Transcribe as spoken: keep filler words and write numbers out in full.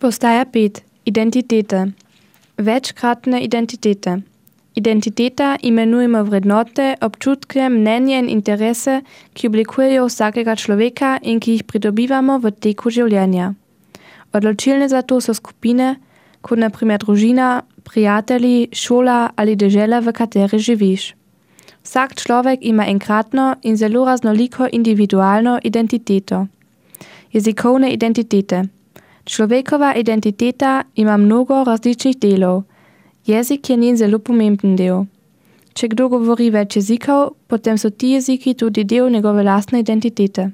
Postaja pet. Identitete. Večkratne identitete. Identiteta imenujemo vrednote, občutke, mnenje in interese, ki oblikujejo vsakega človeka in ki jih pridobivamo v teku življenja. Odločilne za to so skupine, kot na primer družina, prijatelji, šola ali dežela, v kateri živiš. Vsak človek ima enkratno in zelo raznoliko individualno identiteto. Jezikovne identitete. Človekova identiteta ima mnogo različnih delov. Jezik je njen zelo pomemben del. Če kdo govori več jezikov, potem so ti jeziki tudi del njegove lastne identitete.